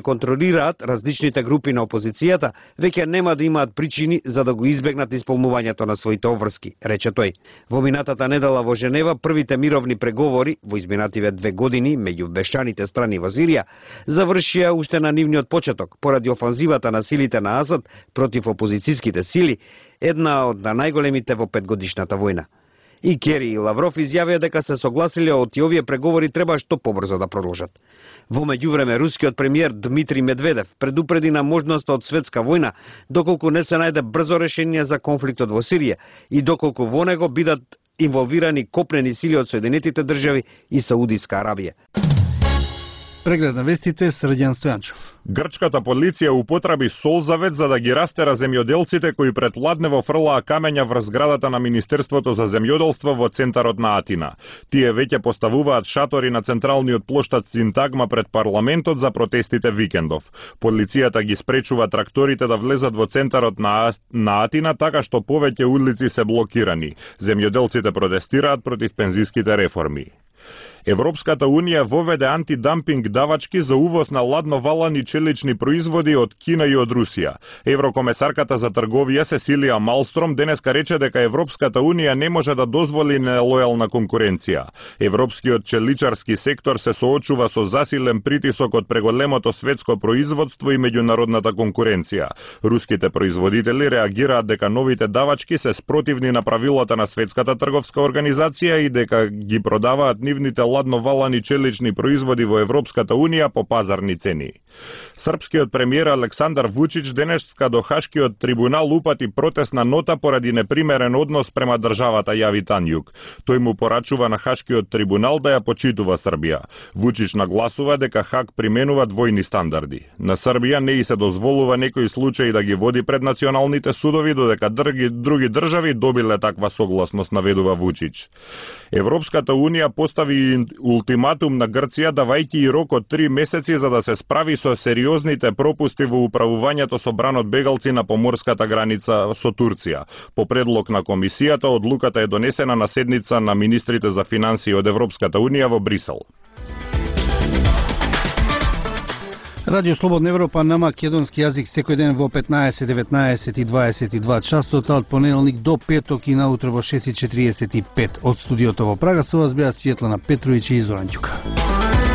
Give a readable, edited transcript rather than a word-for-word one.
контролираат различните групи на опозицијата, веќе нема да имаат причини за да го избегнат исполнувањето на своите обврски, рече тој. Во минатата недела во Женева првите мировни преговори во изминативе 2 години меѓу вбешаните страни во Сирија завршија уште на нивниот почеток поради офанзивата на силите на Асад против опозицијските сили, една од најголемите во 5-годишната војна. И Кери и Лавров изјавија дека се согласиле и овие преговори треба што побрзо да продолжат. Во меѓувреме, рускиот премиер Дмитрий Медведев предупреди на можноста од светска војна доколку не се најде брзо решение за конфликтот во Сирија и доколку во него бидат инволвирани копнени сили од Соединетите држави и Саудиска Арабија. Преглед на вестите, Срđan Стојанчев. Грчката полиција употреби солзавет за да ги растера земјоделците кои пред ладнево фрлаа камења врз зградата на Министерството за земјоделство во центарот на Атина. Тие веќе поставуваат шатори на централниот плоштад Синтагма пред парламентот за протестите викендов. Полицијата ги спречува тракторите да влезат во центарот на Атина, така што повеќе улици се блокирани. Земјоделците протестираат против пензиските реформи. Европската Унија воведе антидампинг давачки за увоз на ладновалани челични производи од Кина и од Русија. Еврокомесарката за трговија Сесилија Малстром денеска рече дека Европската Унија не може да дозволи нелојална конкуренција. Европскиот челичарски сектор се соочува со засилен притисок од преголемото светско производство и меѓународната конкуренција. Руските производители реагираат дека новите давачки се спротивни на правилата на Светската трговска организација и дека ги продаваат нивните ладновалани челични производи во Европската Унија по пазарни цени. Српскиот премиер Александар Вучич денеска до Хашкиот трибунал упати протестна нота поради непримерен однос према државата, јави Танјук. Тој му порачува на Хашкиот трибунал да ја почитува Србија. Вучич нагласува дека Хаг применува двојни стандарди. На Србија не и се дозволува некои случаи да ги води пред националните судови, додека други држави добиле таква согласност, наведува Вучич. Европската Унија постави ултиматум на Грција давајќи и рок од 3 месеци за да се справи со сериозните пропусти во управувањето со бран од бегалци на поморската граница со Турција. По предлог на комисијата, одлуката е донесена на седница на министрите за финансии од Европската Унија во Брисел. Радио Слободна Европа на македонски јазик секој ден во 15, 19 и 22 часот, од понеделник до петок и наутро во 6:45. Од студиото во Прага со вас беа Светлана Петровиќ и Зоран Ѓука.